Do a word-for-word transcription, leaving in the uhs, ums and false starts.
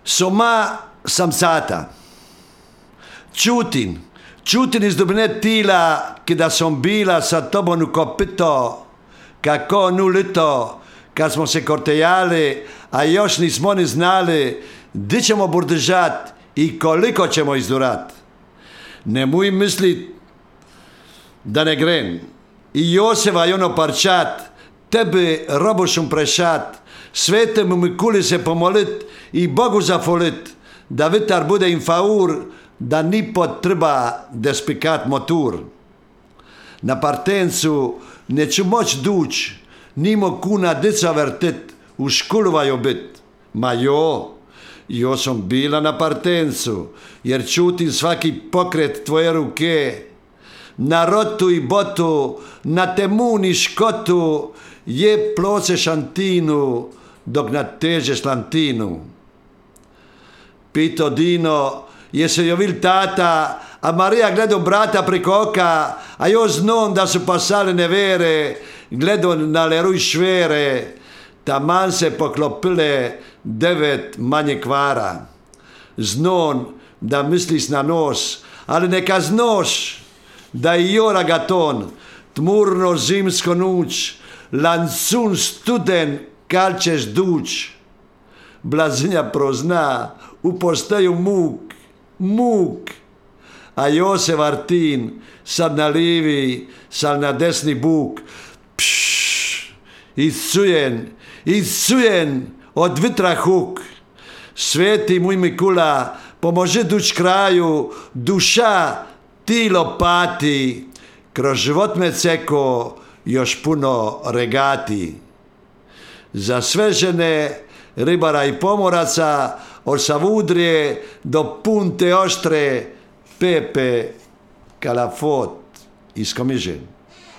Soma samsata. Čutim, čutim iz dubine tila kada sam bila sa tobom u kopito, kako nu lito, kad smo se kortejali, a još nismo ni znali gdje ćemo burdžat i koliko ćemo izdurat. Nemoj mislit da ne gren. I Joseva i ono parčat, tebi robušum prešat, svetemu Mikuli se pomolit i Bogu zafolit, da vitar bude im faur, da ni potreba despikat motor. Na partencu neću moć duć, nimo kuna dica vrtit, u škuluvaju bit. Ma jo, jo sam bila na partencu, jer čutim svaki pokret tvoje ruke. Na rotu i botu, na temun i škotu, je ploce šantinu, dok natežeš lantinu. Pito Dino, je se jo vil tata, a Marija gledao brata preko oka, a jo znom da su pasale nevere, gledao na leruj švere, taman se poklopile devet manje kvara. Znon da misliš na nos, ali neka znoš da i jo ragaton, tmurno zimsko nuć, lancun studen kal ćeš duć. Blazinja prozna, u postaju muk, muk, a Josef Artin sad na livi, sad na desni buk, pšš, iscujen, iscujen od vitra huk. Sveti mój Mikula, pomoži duć kraju, duša tilo pati, kroz život me ceko još puno regati. Za sve žene, ribara i pomoraca, od Savudrije do Punte Oštre, Pepe Kalafot iz Komižen.